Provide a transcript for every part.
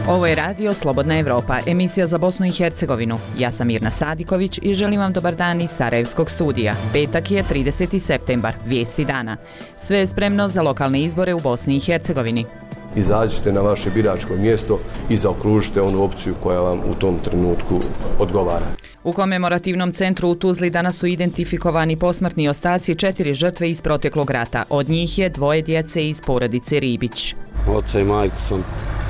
Ovo je radio Slobodna Evropa, emisija za Bosnu i Hercegovinu. Ja sam Mirna Sadiković i želim vam dobar dan iz Sarajevskog studija. Petak je 30. septembar, vijesti dana. Sve je spremno za lokalne izbore u Bosni i Hercegovini. Izađite na vaše biračko mjesto i zaokružite onu opciju koja vam u tom trenutku odgovara. U komemorativnom centru u Tuzli danas su identifikovani posmrtni ostaci 4 žrtve iz proteklog rata. Od njih je 2 djece iz porodice Ribić. Oca i majku sam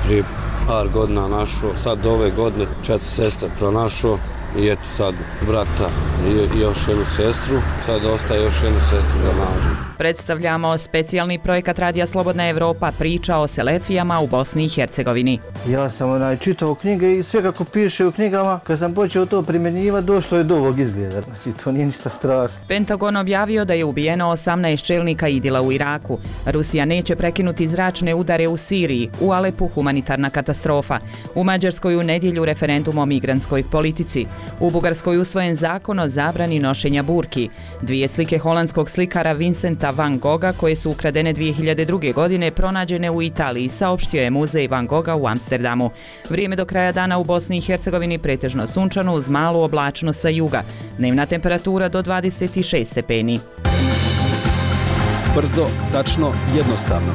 prije par godina našao, sad ove godine 4 sestre pronašao i eto sad brata i još jednu sestru, sad ostaje još jednu sestru za nađu. Predstavljamo specijalni projekat Radija Slobodna Evropa, priča o selefijama u Bosni i Hercegovini. Ja sam čitao knjige i sve kako piše u knjigama, kad sam počeo to primjenjivati, došlo je do ovog izgleda. Znači, to nije ništa strašno. Pentagon objavio da je ubijeno 18 čelnika IDIL-a u Iraku. Rusija neće prekinuti zračne udare u Siriji, u Alepu humanitarna katastrofa. U Mađarskoj u nedjelju referendum o migrantskoj politici. U Bugarskoj usvojen zakon o zabrani nošenja burki. 2 slike holandskog slikara Vincenta Van Gogha koje su ukradene 2002. godine pronađene u Italiji, saopštio je muzej Van Gogha u Amsterdamu. Vrijeme do kraja dana u Bosni i Hercegovini pretežno sunčano uz malu oblačnost sa juga. Dnevna temperatura do 26 stepeni. Brzo, tačno, jednostavno.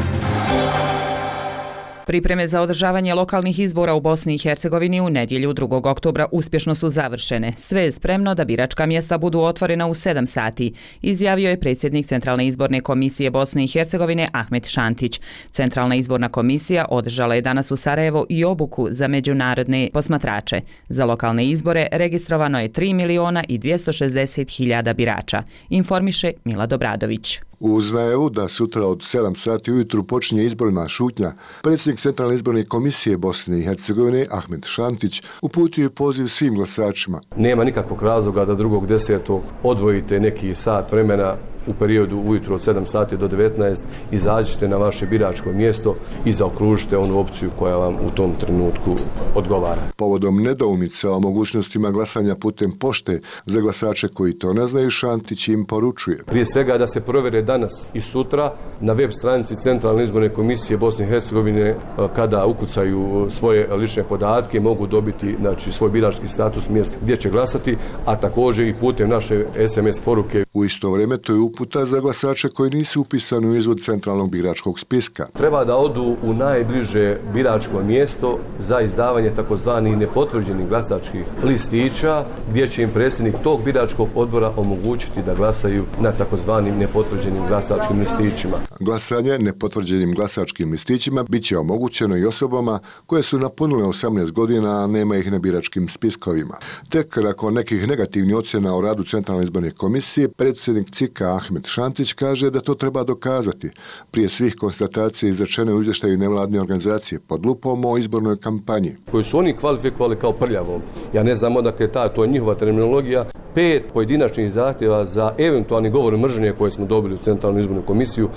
Pripreme za održavanje lokalnih izbora u Bosni i Hercegovini u nedjelju 2. oktobra uspješno su završene. Sve je spremno da biračka mjesta budu otvorena u 7 sati, izjavio je predsjednik Centralne izborne komisije Bosne i Hercegovine Ahmet Šantić. Centralna izborna komisija održala je danas u Sarajevo i obuku za međunarodne posmatrače. Za lokalne izbore registrovano je 3.260.000 birača, informiše Mila Dobradović. Uz najavu da sutra od 7 sati ujutru počinje izborna šutnja, predsjednik Centralne izborne komisije Bosne i Hercegovine Ahmet Šantić uputio je poziv svim glasačima. Nema nikakvog razloga da 2.10. odvojite neki sat vremena u periodu ujutro od 7 sati do 19, izađite na vaše biračko mjesto i zaokružite onu opciju koja vam u tom trenutku odgovara. Povodom nedoumica o mogućnostima glasanja putem pošte za glasače koji to ne znaju, Šantić im poručuje. Prije svega da se provjere danas i sutra na web stranici Centralne izborne komisije Bosne i Hercegovine, kada ukucaju svoje lične podatke mogu dobiti svoj birački status mjesta gdje će glasati, a također i putem naše SMS poruke. U isto vrijeme to je uputa za glasače koji nisu upisani u izvod centralnog biračkog spiska. Treba da odu u najbliže biračko mjesto za izdavanje takozvanih nepotvrđenih glasačkih listića, gdje će im predsjednik tog biračkog odbora omogućiti da glasaju na takozvanim nepotvrđenim glasačkim listićima. Glasanje nepotvrđenim glasačkim listićima bit će omogućeno i osobama koje su napunile 18 godina, a nema ih na biračkim spiskovima. Tek nakon nekih negativnih ocjena o radu Centralne izborne komisije, predsjednik CIK-a Ahmet Šantić kaže da to treba dokazati. Prije svih konstatacija izrečene u izvještaju nevladne organizacije pod lupom o izbornoj kampanji. Koju su oni kvalifikovali kao prljavom. Ja ne znam odakle to je njihova terminologija. 5 pojedinačnih zahtjeva za eventualni govor mržnje koje smo dobili u Centralnu izbornu komisiju.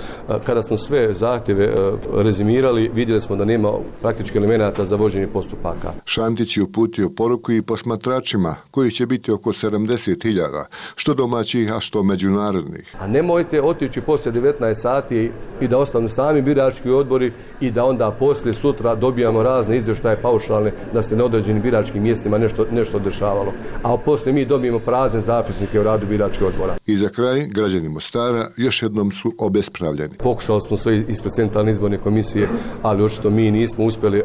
Kada smo sve zahtjeve rezimirali, vidjeli smo da nema praktički elemenata za vođenje postupaka. Šantić je uputio poruku i posmatračima, kojih će biti oko 70.000, što domaćih, a što međunarodnih. A nemojte otići poslije 19 sati i da ostanu sami birački odbori i da onda poslije sutra dobijamo razne izvještaje paušalne da se na određenim biračkim mjestima nešto dešavalo. A poslije mi dobijemo prazne zapisnike o radu biračkih odbora. I za kraj, građani Mostara još jednom su obespravljeni. Pokušali smo sve ispred Centralne izborne komisije, ali očito mi nismo uspjeli,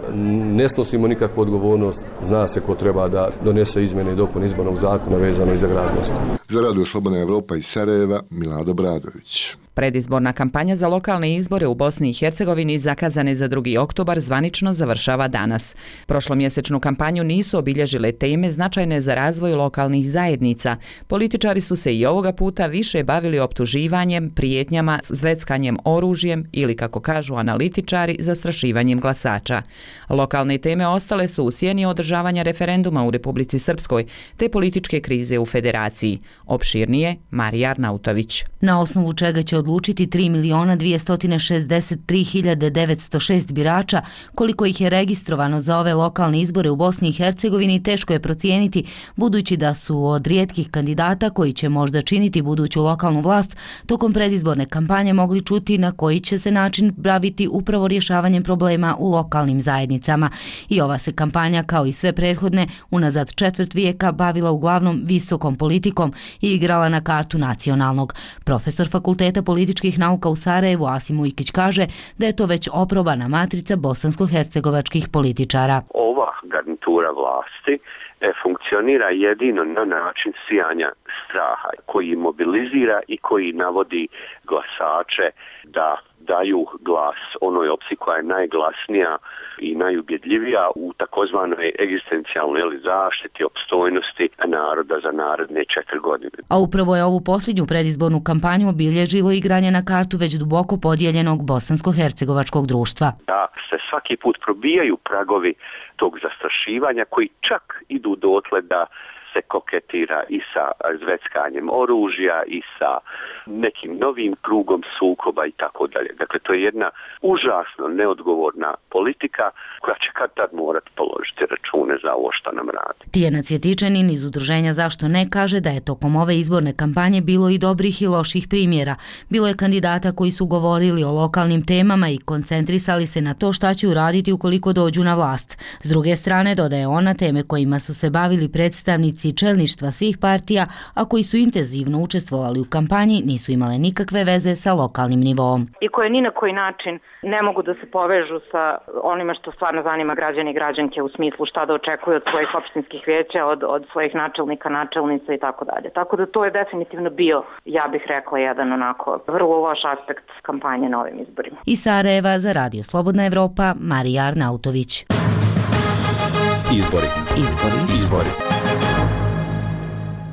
ne snosimo nikakvu odgovornost, zna se ko treba da donese izmjene i dopune izbornog zakona vezano i za grad Mostar. Za Radio Slobodna Evropa iz Sarajeva, Mila Dobradović. Predizborna kampanja za lokalne izbore u Bosni i Hercegovini zakazane za 2. oktobar zvanično završava danas. Prošlomjesečnu kampanju nisu obilježile teme značajne za razvoj lokalnih zajednica. Političari su se i ovoga puta više bavili optuživanjem, prijetnjama, zveckanjem oružjem ili, kako kažu analitičari, zastrašivanjem glasača. Lokalne teme ostale su u sjeni održavanja referenduma u Republici Srpskoj te političke krize u Federaciji. Opširnije Marija Arnautović. Na osnovu čega će odlučiti 3.263.906 birača. Koliko ih je registrovano za ove lokalne izbore u Bosni i Hercegovini teško je procijeniti, budući da su od rijetkih kandidata koji će možda činiti buduću lokalnu vlast tokom predizborne kampanje mogli čuti na koji će se način baviti upravo rješavanjem problema u lokalnim zajednicama. I ova se kampanja, kao i sve prethodne, unazad četvrt vijeka bavila uglavnom visokom politikom i igrala na kartu nacionalnog. Profesor Fakulteta političkih nauka u Sarajevu Asim Ujkić kaže da je to već oprobana matrica bosansko-hercegovačkih političara. Ova garnitura vlasti funkcionira jedino na način sijanja straha koji mobilizira i koji navodi glasače da daju glas onoj opciji koja je najglasnija i najubjedljivija u takozvanoj egzistencijalnoj zaštiti opstojnosti naroda za naredne 4 godine. A upravo je ovu posljednju predizbornu kampanju obilježilo igranje na kartu već duboko podijeljenog bosansko-hercegovačkog društva. Da se svaki put probijaju pragovi tog zastrašivanja koji čak idu dotle da se koketira i sa zveckanjem oružja i sa nekim novim krugom sukoba i tako dalje. Dakle, to je jedna užasno neodgovorna politika koja će kad tad morati položiti račune za ovo što nam radi. Tijana Cvjetičanin iz udruženja Zašto ne kaže da je tokom ove izborne kampanje bilo i dobrih i loših primjera. Bilo je kandidata koji su govorili o lokalnim temama i koncentrisali se na to šta će uraditi ukoliko dođu na vlast. S druge strane, dodaje ona, teme kojima su se bavili predstavnici čelništva svih partija, a koji su intenzivno učestvovali u kampanji, nisu imale nikakve veze sa lokalnim nivoom. I koje ni na koji način ne mogu da se povežu sa onima što stvarno zanima građani i građanke u smislu šta da očekuju od svojih opštinskih vijeća, od svojih načelnika, načelnica i tako dalje. Tako da to je definitivno bio, ja bih rekla, jedan onako vrlo loš aspekt kampanje na ovim izborima. Iz Sarajeva za Radio Slobodna Evropa, Marija Arnautović. Izbori.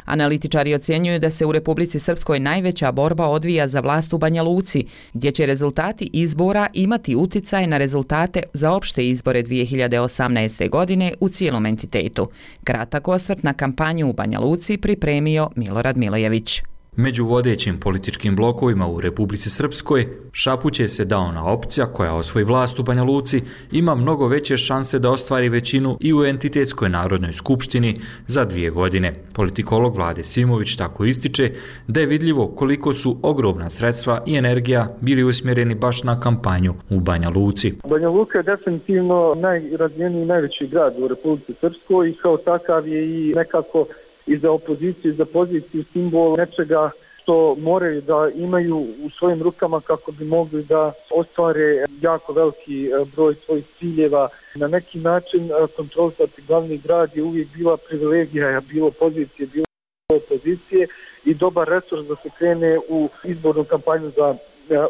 Analitičari ocjenjuju da se u Republici Srpskoj najveća borba odvija za vlast u Banja Luci, gdje će rezultati izbora imati uticaj na rezultate za opšte izbore 2018. godine u cijelom entitetu. Kratak osvrt na kampanju u Banja Luci pripremio Milorad Milojević. Među vodećim političkim blokovima u Republici Srpskoj šapuće se da ona opcija koja osvoji vlast u Banja Luci ima mnogo veće šanse da ostvari većinu i u entitetskoj narodnoj skupštini za 2 godine. Politikolog Vlade Simović tako ističe da je vidljivo koliko su ogromna sredstva i energija bili usmjereni baš na kampanju u Banja Luci. Banja Luka je definitivno najrazvijeniji i najveći grad u Republici Srpskoj i kao takav je i nekako i za opoziciju, i za poziciju simbol nečega što moraju da imaju u svojim rukama kako bi mogli da ostvare jako veliki broj svojih ciljeva. Na neki način kontrolisati glavni grad je uvijek bila privilegija, bilo pozicije, bilo opozicije i dobar resurs da se krene u izbornu kampanju za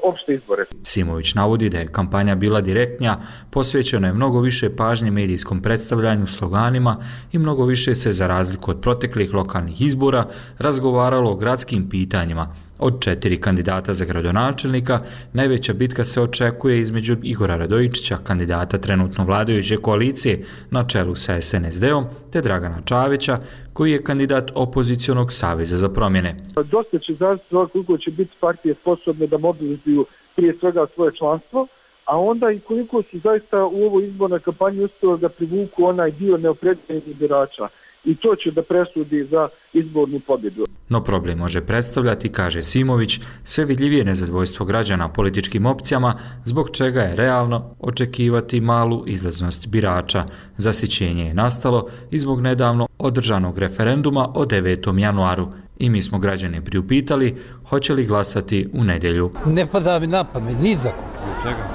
opšte izbore. Simović navodi da je kampanja bila direktnija, posvećeno je mnogo više pažnje medijskom predstavljanju, sloganima i mnogo više se, za razliku od proteklih lokalnih izbora, razgovaralo o gradskim pitanjima. Od 4 kandidata za gradonačelnika, najveća bitka se očekuje između Igora Radojičića, kandidata trenutno vladajuće koalicije na čelu sa SNSD-om, te Dragana Čavića, koji je kandidat opozicionog saveza za promjene. Dosta će zavisiti koliko će biti partije sposobne da mobilizuju prije svega svoje članstvo, a onda i koliko su zaista u ovoj izbornoj kampanji uspjeli da privuku onaj dio neopredeljenih birača. I to će da presudi za izbornu pobjedu. No problem može predstavljati, kaže Simović, sve vidljivije nezadovoljstvo građana političkim opcijama, zbog čega je realno očekivati malu izlaznost birača. Zasićenje je nastalo i zbog nedavno održanog referenduma o 9. januaru. I mi smo građane priupitali hoće li glasati u nedjelju. Ne pada mi na pamet, ni za ko.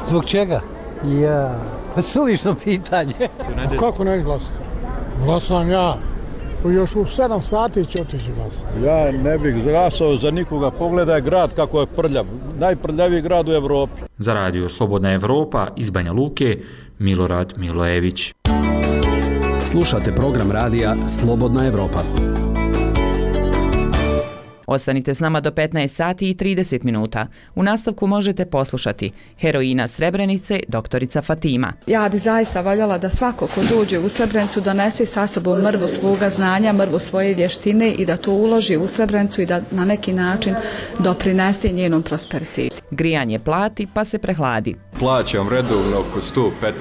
Zbog čega? Ja, pa suvišno pitanje. Pa kako ne glasati? Glasam ja. Još u 7 sati će otići glasati. Ja ne bih glasao za nikoga. Pogledaj grad kako je prljav. Najprljaviji grad u Evropi. Za Radio Slobodna Evropa iz Banja Luke, Milorad Milojević. Slušate program radija Slobodna Evropa. Ostanite s nama do 15 sati i 30 minuta. U nastavku možete poslušati heroina Srebrenice, doktorica Fatima. Ja bi zaista voljela da svako ko dođe u Srebrenicu donese sa sobom mrvu svoga znanja, mrvu svoje vještine i da to uloži u Srebrenicu i da na neki način doprinese njenom prosperitetu. Grijanje plati pa se prehladi. Plaćam redovno oko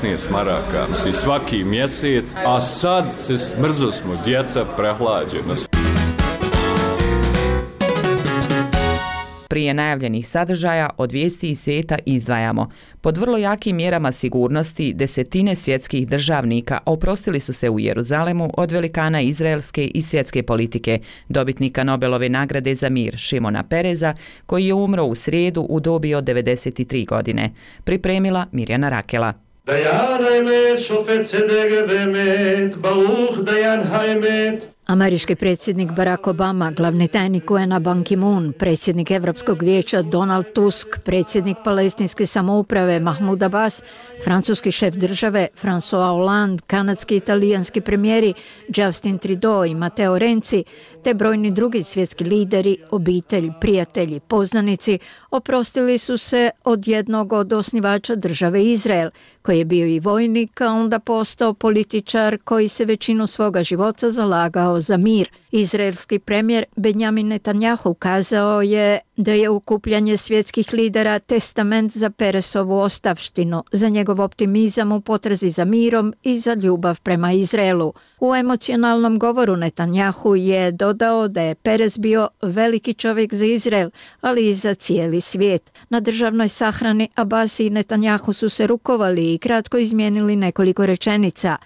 115 maraka, svaki mjesec, a sad se smrzo smo, djeca prehlađena. Prije najavljenih sadržaja od vijesti iz svijeta izdvajamo. Pod vrlo jakim mjerama sigurnosti desetine svjetskih državnika oprostili su se u Jeruzalemu od velikana izraelske i svjetske politike, dobitnika Nobelove nagrade za mir Šimona Pereza, koji je umro u srijedu u dobi od 93 godine. Pripremila Mirjana Rakela. Američki predsjednik Barack Obama, glavni tajnik UN-a Ban Ki-moon, predsjednik Europskog vijeća Donald Tusk, predsjednik palestinske samouprave Mahmoud Abbas, francuski šef države François Hollande, kanadski i italijanski premijeri Justin Trudeau i Matteo Renzi, te brojni drugi svjetski lideri, obitelj, prijatelji, poznanici oprostili su se od jednog od osnivača države Izrael, koji je bio i vojnik, a onda postao političar koji se većinu svoga života zalagao za mir. Izraelski premijer Benjamin Netanjahu kazao je da je okupljanje svjetskih lidera testament za Peresovu ostavštinu, za njegov optimizam u potrazi za mirom i za ljubav prema Izraelu. U emocionalnom govoru Netanjahu je dodao da je Perez bio veliki čovjek za Izrael, ali i za cijeli svijet. Na državnoj sahrani Abbas i Netanjahu su se rukovali i kratko izmijenili nekoliko rečenica.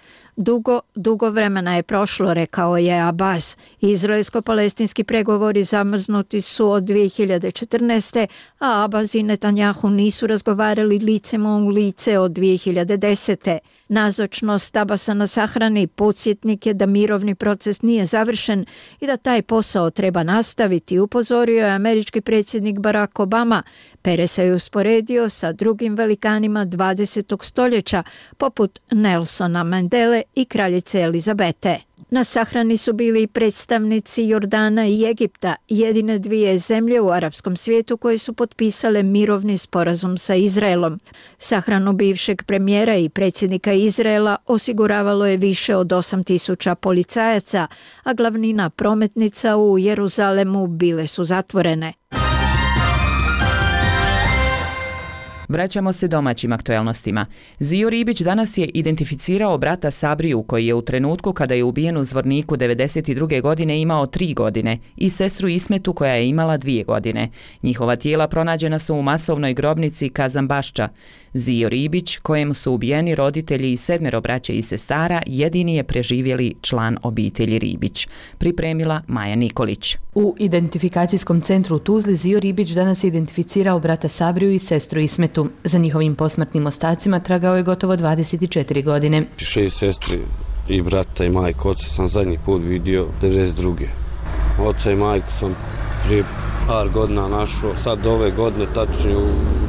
Dugo vremena je prošlo, rekao je Abbas. Izraelsko-palestinski pregovori zamrznuti su od 2014. a Abbas i Netanjahu nisu razgovarali licem u lice od 2010. Nazočnost Abbasa na sahrani podsjetnik je da mirovni proces nije završen i da taj posao treba nastaviti, upozorio je američki predsjednik Barack Obama. Perez se je usporedio sa drugim velikanima 20. stoljeća, poput Nelsona Mandele i kraljice Elizabete. Na sahrani su bili i predstavnici Jordana i Egipta, jedine dvije zemlje u arapskom svijetu koje su potpisale mirovni sporazum sa Izraelom. Sahranu bivšeg premijera i predsjednika Izraela osiguravalo je više od 8.000 policajaca, a glavnina prometnica u Jeruzalemu bile su zatvorene. Vraćamo se domaćim aktuelnostima. Zio Ribić danas je identificirao brata Sabriju, koji je u trenutku kada je ubijen u Zvorniku 92. godine imao 3 godine, i sestru Ismetu koja je imala 2 godine. Njihova tijela pronađena su u masovnoj grobnici Kazanbašča. Zio Ribić, kojem su ubijeni roditelji i 7 braće i sestara, jedini je preživjeli član obitelji Ribić. Pripremila Maja Nikolić. U identifikacijskom centru u Tuzli Zio Ribić danas je identificirao brata Sabriju i sestru Ismetu. Za njihovim posmrtnim ostacima tragao je gotovo 24 godine. 6 sestri i brata i majku. Oca sam zadnji put vidio 92. Oca i majku sam prije par godina našao. Sad ove godine tačno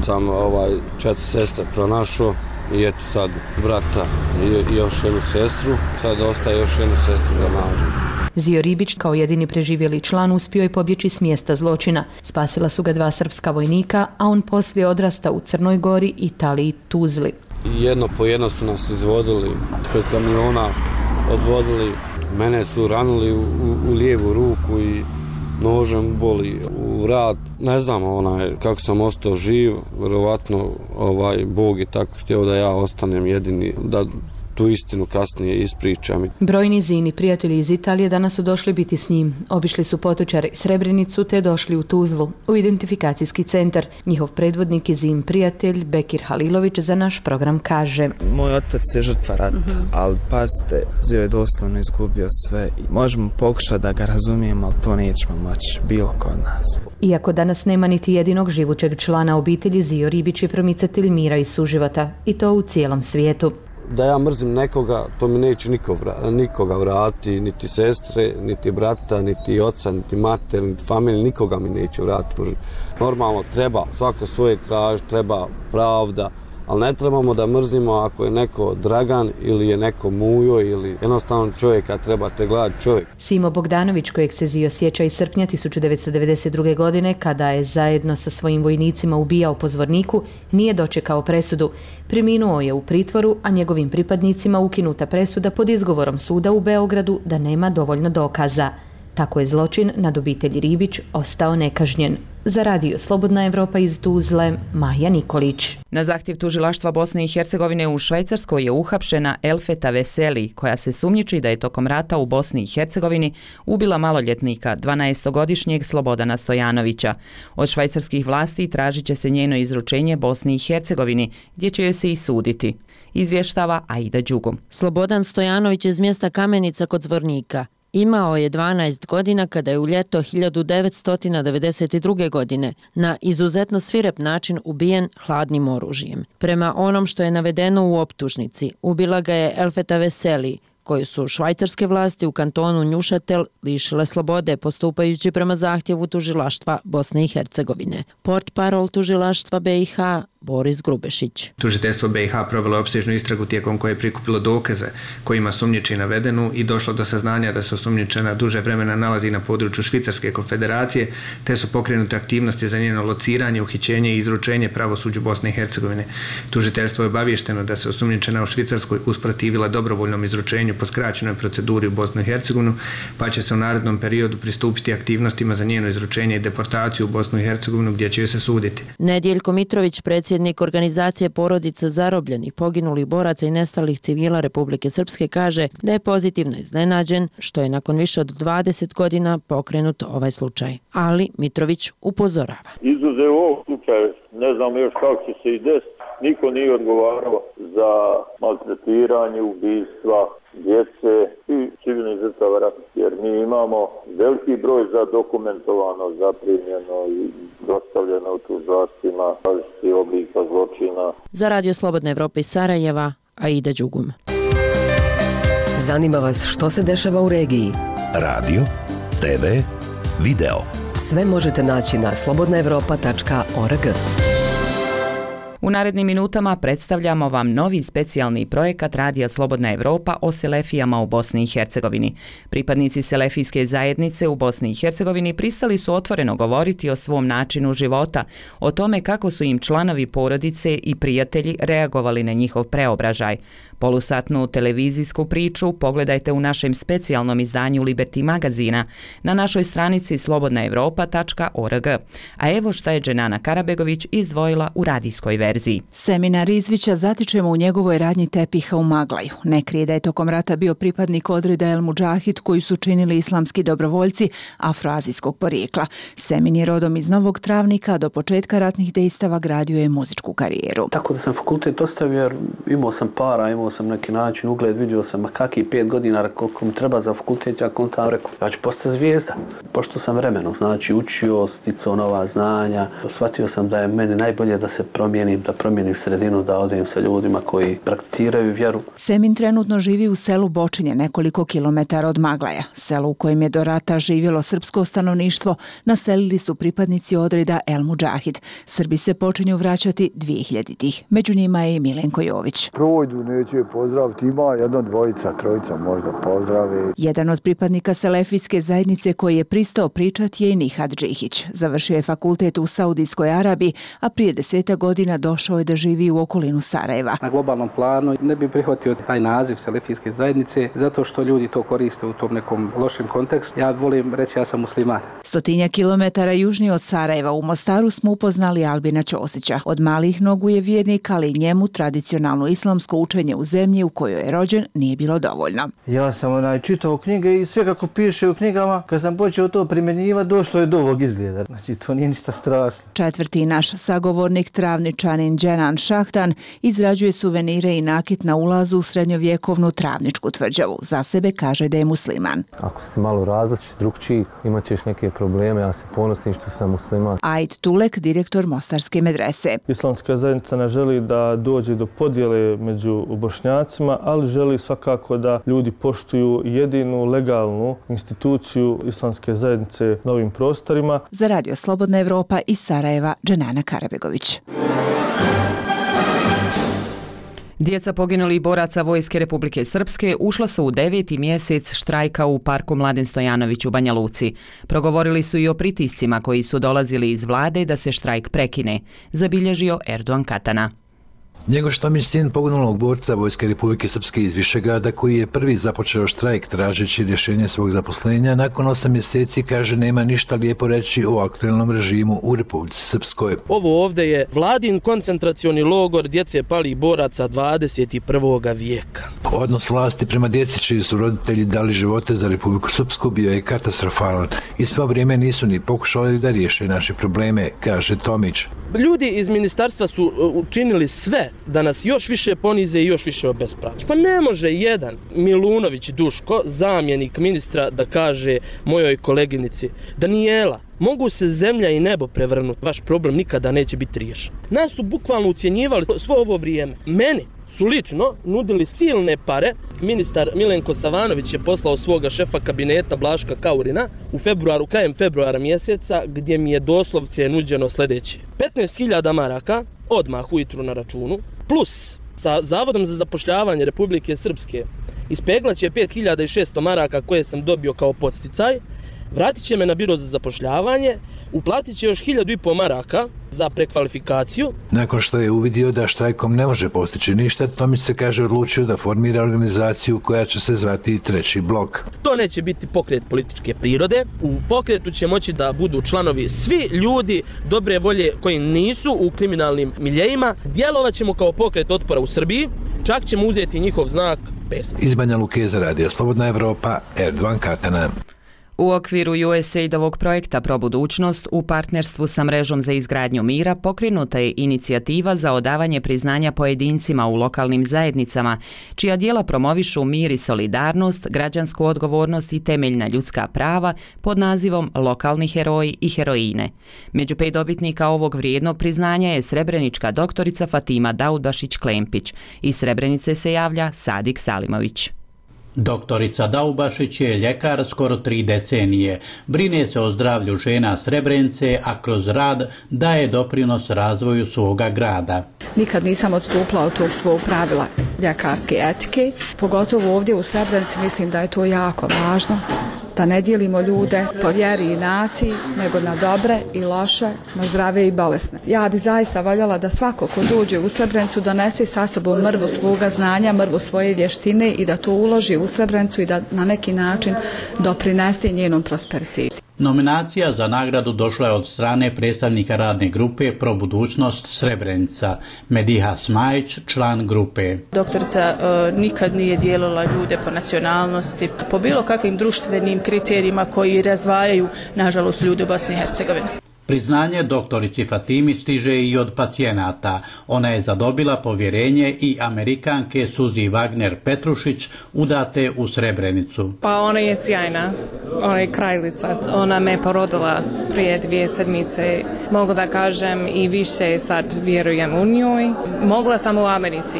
sam 4 sestre pronašao. I eto sad brata i još jednu sestru. Sad ostaje još jednu sestru za nađu. Zio Ribić kao jedini preživjeli član uspio je pobjeći s mjesta zločina. Spasila su ga 2 srpska vojnika, a on poslije odrasta u Crnoj Gori, Italiji, Tuzli. Jedno po jedno su nas izvodili, pred kamiona odvodili. Mene su ranili u lijevu ruku i nožem boli u vrat. Ne znam kako sam ostao živ, vjerovatno Bog je tako htio da ja ostanem jedini, da tu istinu kasnije ispričam. Brojni Zini prijatelji iz Italije danas su došli biti s njim. Obišli su Potočar i Srebrenicu te došli u Tuzlu, u identifikacijski centar. Njihov predvodnik i Zin prijatelj Bekir Halilović za naš program kaže: Moj otac je žrtva rata, ali pazite, Zio je doslovno izgubio sve. Možemo pokušati da ga razumijemo, ali to nećemo moći bilo ko od nas. Iako danas nema niti jedinog živućeg člana obitelji, Zio Ribić je promicatelj mira i suživota, i to u cijelom svijetu. Da ja mrzim nekoga, to mi neće nikoga vratiti, niti sestre, niti brata, niti oca, niti mater, niti familije, nikoga mi neće vratiti. Normalno treba svako svoje traži, treba pravda, ali ne trebamo da mrzimo ako je neko Dragan ili je neko Mujo ili jednostavno čovjeka trebate gledati čovjek. Simo Bogdanović, kojeg se Zio sjeća iz srpnja 1992. godine, kada je zajedno sa svojim vojnicima ubijao po Zvorniku, nije dočekao presudu. Preminuo je u pritvoru, a njegovim pripadnicima ukinuta presuda pod izgovorom suda u Beogradu da nema dovoljno dokaza. Tako je zločin nad obitelji Ribić ostao nekažnjen. Za radio Slobodna Evropa iz Tuzle, Maja Nikolić. Na zahtjev tužilaštva Bosne i Hercegovine u Švajcarskoj je uhapšena Elfeta Veseli, koja se sumnjiči da je tokom rata u Bosni i Hercegovini ubila maloljetnika, 12-godišnjeg Slobodana Stojanovića. Od švajcarskih vlasti tražit će se njeno izručenje Bosni i Hercegovini, gdje će joj se i suditi. Izvještava Aida Đugum. Slobodan Stojanović iz mjesta Kamenica kod Zvornika. Imao je 12 godina kada je u ljeto 1992. godine na izuzetno svirep način ubijen hladnim oružjem. Prema onom što je navedeno u optužnici, ubila ga je Elfeta Veseli, koju su švajcarske vlasti u kantonu Njušatel lišile slobode postupajući prema zahtjevu tužilaštva Bosne i Hercegovine. Portparol tužilaštva BiH Boris Grubešić. Tužiteljstvo BiH provelo opsežnu istragu tijekom koje je prikupilo dokaze kojima sumnjiči navedenu i došlo do saznanja da se osumnjičena duže vremena nalazi na području Švicarske konfederacije, te su pokrenute aktivnosti za njeno lociranje, uhićenje i izručenje pravosuđu Bosne i Hercegovine. Tužiteljstvo je obavješteno da se osumnjičena u Švicarskoj usprotivila dobrovoljnom izručenju po skraćenoj proceduri u Bosnu i Hercegovinu, pa će se u narednom periodu pristupiti aktivnostima za njeno izručenje i deportaciju u Bosnu i Hercegovinu, gdje će joj se suditi. Nedjeljko Mitrović, predsjednik organizacije porodica zarobljenih, poginulih boraca i nestalih civila Republike Srpske, kaže da je pozitivno iznenađen što je nakon više od 20 godina pokrenut ovaj slučaj. Ali Mitrović upozorava. Izuzev ovog slučaja, ne znam još kako će se i desiti, niko nije odgovarao za maltretiranje, ubistva djece i civilnih žrtava rata, jer mi imamo veliki broj zadokumentovano, zaprimljeno i dostavljeno u tužilaštvima različitih oblika zločina. Za radio Slobodna Evropa iz Sarajeva, Aida Đugum. Zanima vas što se dešava u regiji? Radio, TV, video. Sve možete naći na slobodnaevropa.org. U narednim minutama predstavljamo vam novi specijalni projekat Radija Slobodna Evropa o selefijama u Bosni i Hercegovini. Pripadnici selefijske zajednice u Bosni i Hercegovini pristali su otvoreno govoriti o svom načinu života, o tome kako su im članovi porodice i prijatelji reagovali na njihov preobražaj. Polusatnu televizijsku priču pogledajte u našem specijalnom izdanju Liberty magazina na našoj stranici slobodnaevropa.org. A evo šta je Dženana Karabegović izdvojila u radijskoj verziji. Seminar Rizvića zatičemo u njegovoj radnji tepiha u Maglaju. Ne krije da je tokom rata bio pripadnik odreda El Mudžahid koji su činili islamski dobrovoljci afroazijskog porijekla. Semin je rodom iz Novog Travnika, do početka ratnih dejstava gradio je muzičku karijeru. Tako da sam fakultet ostavio jer imao sam para, imao sam neki način, ugled, vidio sam kakvi 5 godina, koliko mi treba za fakultet, ja kontam rekao, ja ću postati zvijezda. Pošto sam vremenom, znači učio, sticao nova znanja, shvatio sam da je meni najbolje da se promijenim, da promijenim sredinu, da odem sa ljudima koji prakticiraju vjeru. Semin trenutno živi u selu Bočinje, nekoliko kilometara od Maglaja. Selo u kojem je do rata živjelo srpsko stanovništvo, naselili su pripadnici odreda El Mudžahid. Srbi se počinju vraćati 2000-ih. Među njima je i Milenko Jović. Projdu, neću je pozdraviti, ima jedno, dvojica, trojica možda pozdravi. Jedan od pripadnika selefijske zajednice koji je pristao pričati je i Nihad Džihić. Završio je fakultet u Saudijskoj Arabiji, a prije 10 godina došao je da živi u okolinu Sarajeva. Na globalnom planu ne bi prihvatio taj naziv selefijske zajednice zato što ljudi to koriste u tom nekom lošem kontekstu. Ja volim reći ja sam musliman. 100 kilometara južnije od Sarajeva u Mostaru smo upoznali Albina Ćosića. Od malih nogu je vjernik, ali njemu tradicionalno islamsko učenje u zemlji u kojoj je rođen nije bilo dovoljno. Ja sam čitao knjige i sve kako piše u knjigama, kad sam počeo to primjenjivati, došlo je do ovog izgleda. Znači, to nije ništa strašno. Četvrti naš sagovornik, travničanin Dženan Šahtan, izrađuje suvenire i nakit na ulazu u srednjovjekovnu travničku tvrđavu. Za sebe kaže da je musliman. Ako si malo različit, drugčiji, imat ćeš neke probleme, ja se ponosim što sam musliman. Aid Tulek, direktor Mostarske medrese. Islamska zajednica ne želi da dođe do podjele među Bošnjacima, ali želi svakako da ljudi poštuju jedinu legalnu instituciju islamske zajednice na ovim prostorima. Za Radio Slobodna Evropa iz Sarajeva, Dženana Karabegović. Djeca poginulih boraca Vojske Republike Srpske ušla su u 9. mjesec štrajka u Parku Mladen Stojanović u Banja Luci. Progovorili su i o pritiscima koji su dolazili iz vlade da se štrajk prekine, zabilježio Erdogan Katana. Njegoš Tomić, sin poginulog borca Vojske Republike Srpske iz Višegrada, koji je prvi započeo štrajk tražeći rješenje svog zaposlenja, nakon 8 mjeseci kaže nema ništa lijepo reći o aktuelnom režimu u Republici Srpskoj. Ovo ovdje je vladin koncentracioni logor djece palih boraca 21. vijeka. Odnos vlasti prema djeci čiji su roditelji dali živote za Republiku Srpsku bio je katastrofalan i svo vrijeme nisu ni pokušali da riješe naše probleme, kaže Tomić. Ljudi iz ministarstva su učinili sve da nas još više ponize i još više obespravlja. Pa ne može jedan Milunović Duško, zamjenik ministra, da kaže mojoj koleginici: Danijela, mogu se zemlja i nebo prevrnuti, vaš problem nikada neće biti riješen. Nas su bukvalno ucjenjivali svo ovo vrijeme. Meni su lično nudili silne pare. Ministar Milenko Savanović je poslao svoga šefa kabineta Blaška Kaurina u februaru, krajem februara mjeseca, gdje mi je doslovce nuđeno sljedeće: 15.000 maraka odmah ujutru na računu, plus sa Zavodom za zapošljavanje Republike Srpske ispeglaće 5.600 maraka koje sam dobio kao podsticaj, vratit će me na biro za zapošljavanje, uplatit će još 1.500 maraka za prekvalifikaciju. Nakon što je uvidio da štrajkom ne može postići ništa, Tomić se kaže odlučio da formira organizaciju koja će se zvati Treći blok. To neće biti pokret političke prirode. U pokretu će moći da budu članovi svi ljudi dobre volje koji nisu u kriminalnim miljejima. Djelovat ćemo kao pokret otpora u Srbiji, čak ćemo uzeti njihov znak pesma. Iz Banja Luke za Radio Slobodna Evropa, Erdogan Katana. U okviru USAID-ovog projekta Pro budućnost u partnerstvu sa Mrežom za izgradnju mira pokrenuta je inicijativa za odavanje priznanja pojedincima u lokalnim zajednicama, čija djela promovišu mir i solidarnost, građansku odgovornost i temeljna ljudska prava pod nazivom Lokalni heroji i heroine. Među 5 dobitnika ovog vrijednog priznanja je srebrenička doktorica Fatima Daudbašić-Klempić. Iz Srebrenice se javlja Sadik Salimović. Doktorica Daubašić je ljekar skoro 3 decenije. Brine se o zdravlju žena Srebrenice, a kroz rad daje doprinos razvoju svoga grada. Nikad nisam odstupila od tog svog pravila ljekarske etike. Pogotovo ovdje u Srebrenici mislim da je to jako važno. Da ne dijelimo ljude po vjeri i naciji, nego na dobre i loše, na zdrave i bolesne. Ja bi zaista voljela da svako ko dođe u Srebrenicu donese sa sobom mrvu svoga znanja, mrvu svoje vještine i da to uloži u Srebrenicu i da na neki način doprinese njenom prosperitetu. Nominacija za nagradu došla je od strane predstavnika radne grupe Pro budućnost Srebrenica, Mediha Smajić, član grupe. Doktorica nikad nije dijelila ljude po nacionalnosti, po bilo kakvim društvenim kriterijima koji razdvajaju, nažalost, ljude u Bosni i Hercegovini. Priznanje doktorici Fatimi stiže i od pacijenata. Ona je zadobila povjerenje i Amerikanke Suzi Wagner Petrušić, udate u Srebrenicu. Pa ona je sjajna, ona je kraljica. Ona me porodila prije 2 sedmice. Mogu da kažem i više sad vjerujem u njoj. Mogla sam u Americi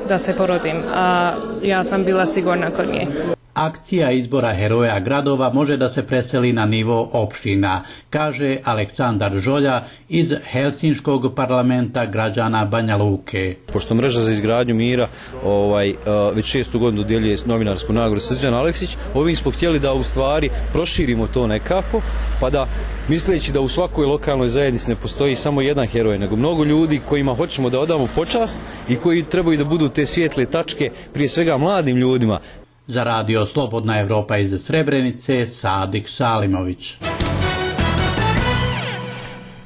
da se porodim, a ja sam bila sigurna kod nje. Akcija izbora heroja gradova može da se preseli na nivo opština, kaže Aleksandar Žolja iz Helsinškog parlamenta građana Banja Luke. Pošto Mreža za izgradnju mira već 6. godinu dodjeljuje novinarsku nagradu Srđan Aleksić, ovim smo htjeli da u stvari proširimo to nekako, pa da misleći da u svakoj lokalnoj zajednici ne postoji samo jedan heroj, nego mnogo ljudi kojima hoćemo da odamo počast i koji trebaju da budu te svijetle tačke, prije svega mladim ljudima. Za Radio Slobodna Evropa iz Srebrenice, Sadik Salimović.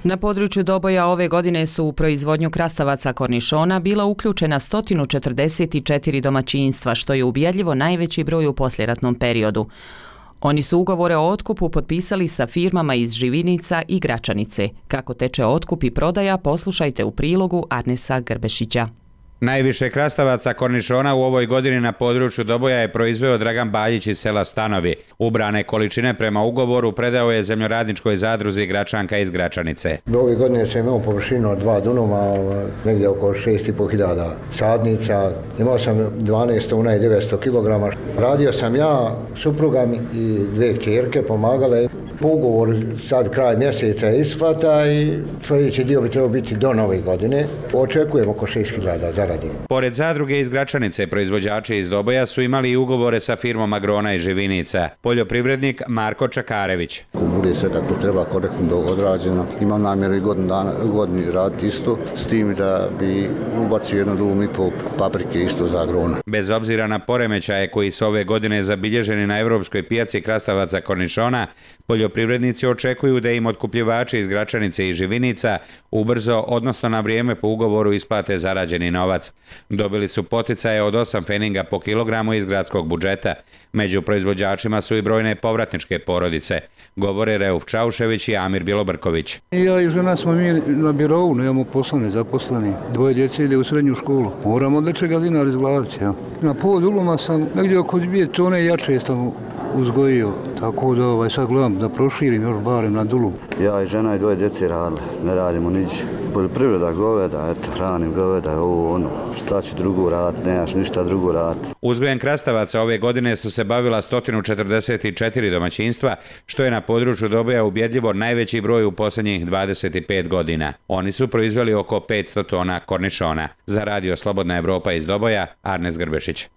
Na području Doboja ove godine su u proizvodnju krastavaca kornišona bila uključena 144 domaćinstva, što je ubjedljivo najveći broj u poslijeratnom periodu. Oni su ugovore o otkupu potpisali sa firmama iz Živinica i Gračanice. Kako teče otkup i prodaja, poslušajte u prilogu Arnesa Grbešića. Najviše krastavaca kornišona u ovoj godini na području Doboja je proizveo Dragan Baljić iz sela Stanovi. Ubrane količine prema ugovoru predao je zemljoradničkoj zadruzi Gračanka iz Gračanice. Ove godine sam imao površinu od 2 dunuma, negdje oko 6.500 sadnica. Imao sam 12 tona i 900 kg. Radio sam ja, supruga i 2 kćerke pomagale. Po ugovoru sad kraj mjeseca je isplata i sljedeći dio bi trebao biti do nove godine. Očekujemo oko 6.000 zarade. zarade. Pored zadruge iz Gračanice, proizvođači iz Doboja su imali i ugovore sa firmom Agrona i Živinica. Poljoprivrednik Marko Čakarević. Ako bude sve kako treba, korektno odrađeno, imam namjeru i godini raditi isto, s tim da bi ubacio 1,5 paprike isto za Agrona. Bez obzira na poremećaje koji su ove godine zabilježeni na evropskoj pijaci krastavaca kornišona, poljoprivrednici očekuju da im otkupljivači iz Gračanice i Živinica ubrzo, odnosno na vrijeme po ugovoru, isplate zarađeni novac. Dobili su poticaje od 8 feninga po kilogramu iz gradskog budžeta. Među proizvođačima su i brojne povratničke porodice, govore Reuf Čaušević i Amir Bilobrković. Ja i žena smo mi na birovu, nemamo poslani, zaposleni. 2 djece ide u srednju školu. Moramo od nečega dinar izglaviti. Ja. Na povod uloma sam negdje oko 2 tone jače sam uzgojio, tako da sad gledam da proširim još barem na dulu. Ja i žena i 2 djece radili, ne radimo nič. Poljoprivreda, goveda, eto, hranim goveda, ovo ono, šta ću drugo raditi, nemaš ništa drugo raditi. Uzgojem krastavaca ove godine su se bavila 144 domaćinstva, što je na području Doboja ubjedljivo najveći broj u posljednjih 25 godina. Oni su proizveli oko 500 tona kornišona. Za Radio Slobodna Evropa iz Doboja, Arnes Grbešić.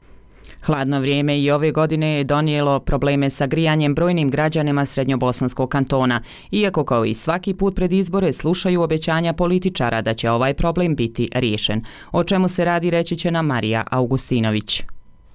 Hladno vrijeme i ove godine je donijelo probleme sa grijanjem brojnim građanima Srednjobosanskog kantona, iako kao i svaki put pred izbore slušaju obećanja političara da će ovaj problem biti riješen. O čemu se radi reći će nam Marija Augustinović.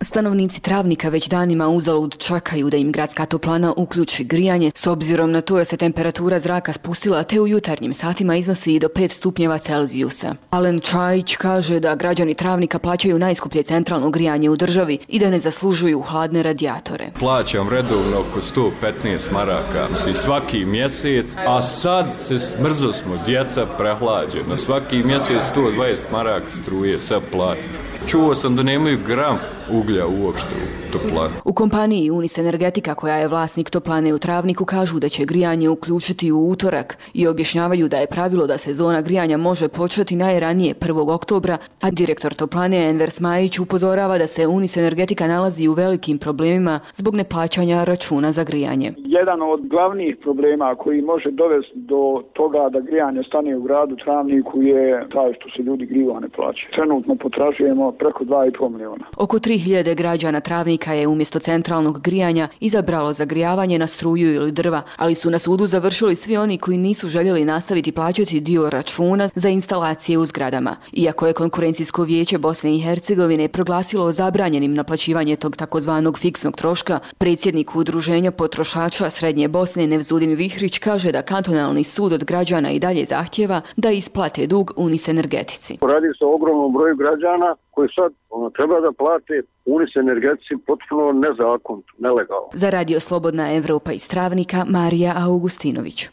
Stanovnici Travnika već danima uzalud čekaju da im gradska toplana uključi grijanje, s obzirom na to da se temperatura zraka spustila te u jutarnjim satima iznosi i do 5 stupnjeva Celzijusa. Alen Čajić kaže da građani Travnika plaćaju najskuplje centralno grijanje u državi i da ne zaslužuju hladne radijatore. Plaćam redovno oko 115 maraka, svaki mjesec, a sad se smrzo smo, djeca prehlađena. Svaki mjesec 120 maraka struje, sad platim. Čuo sam da nemaju gram uglja uopšte u toplani. U kompaniji Unis Energetika, koja je vlasnik toplane u Travniku, kažu da će grijanje uključiti u utorak i objašnjavaju da je pravilo da sezona grijanja može početi najranije 1. oktobra, a direktor toplane Enver Smajić upozorava da se Unis Energetika nalazi u velikim problemima zbog neplaćanja računa za grijanje. Jedan od glavnih problema koji može dovesti do toga da grijanje stane u gradu Travniku je taj što se ljudi grijeva ne plaćaju. Trenutno potražujemo preko 2,5 miliona. Oko 3000 građana Travnika je umjesto centralnog grijanja izabralo zagrijavanje na struju ili drva, ali su na sudu završili svi oni koji nisu željeli nastaviti plaćati dio računa za instalacije u zgradama. Iako je Konkurencijsko vijeće Bosne i Hercegovine proglasilo zabranjenim naplaćivanje tog takozvanog fiksnog troška, predsjednik Udruženja potrošača Srednje Bosne Nevzudin Vihrić kaže da kantonalni sud od građana i dalje zahtjeva da isplate dug Unis Energetici. Radi se o ogromnom broju građana koji sad treba da plate Unis Energetici potpuno nezakonito, nelegalno. Za Radio Slobodna Evropa iz Travnika, Marija Augustinović.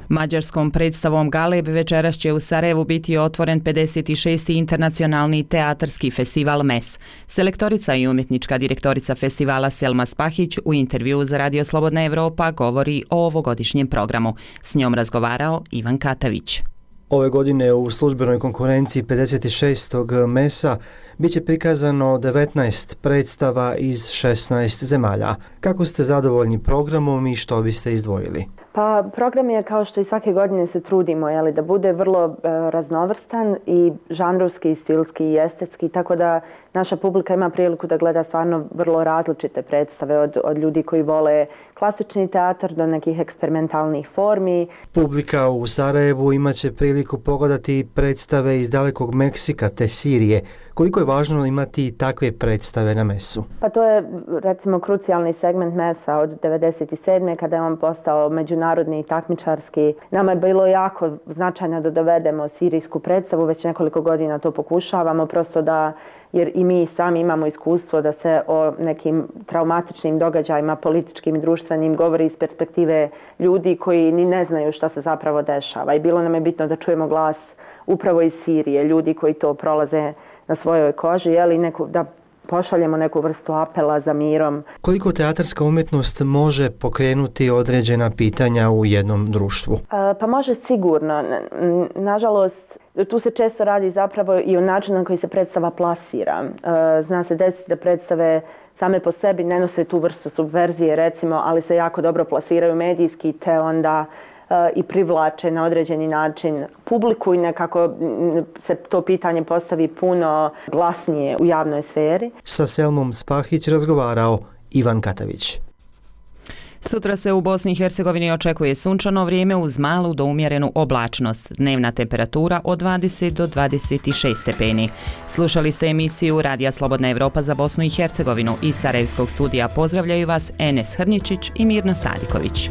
Mađarskom predstavom Galeb večeras će u Sarajevu biti otvoren 56. internacionalni teatarski festival MES. Selektorica i umjetnička direktorica festivala Selma Spahić u intervjuu za Radio Slobodna Evropa govori o ovogodišnjem programu. S njom razgovarao Ivan Katavić. Ove godine u službenoj konkurenciji 56. MES-a bit će prikazano 19 predstava iz 16 zemalja. Kako ste zadovoljni programom i što biste izdvojili? Pa program je, kao što i svake godine se trudimo, da bude vrlo raznovrstan i žanrovski, i stilski i estetski, tako da naša publika ima priliku da gleda stvarno vrlo različite predstave od ljudi koji vole klasični teatar do nekih eksperimentalnih formi. Publika u Sarajevu imaće priliku pogledati predstave iz dalekog Meksika te Sirije. Koliko je važno imati takve predstave na MES-u? Pa to je recimo krucijalni segment MES-a od 1997. kada je on postao međunarodni i takmičarski. Nama je bilo jako značajno da dovedemo sirijsku predstavu, već nekoliko godina to pokušavamo, prosto da, jer i mi sami imamo iskustvo da se o nekim traumatičnim događajima, političkim i društvenim, govori iz perspektive ljudi koji ni ne znaju šta se zapravo dešava. I bilo nam je bitno da čujemo glas upravo iz Sirije, ljudi koji to prolaze na svojoj koži, da pošaljemo neku vrstu apela za mirom. Koliko teatarska umjetnost može pokrenuti određena pitanja u jednom društvu? Pa može sigurno. Nažalost, tu se često radi zapravo i o načinu na koji se predstava plasira. Zna se desiti da predstave same po sebi ne nose tu vrstu subverzije, recimo, ali se jako dobro plasiraju medijski, te onda i privlače na određeni način publiku i nekako se to pitanje postavi puno glasnije u javnoj sferi. Sa Selmom Spahić razgovarao Ivan Katavić. Sutra se u Bosni i Hercegovini očekuje sunčano vrijeme uz malu do umjerenu oblačnost. Dnevna temperatura od 20 do 26 stepeni. Slušali ste emisiju Radija Slobodna Evropa za Bosnu i Hercegovinu. Iz Sarajevskog studija pozdravljaju vas Enes Hrničić i Mirna Sadiković.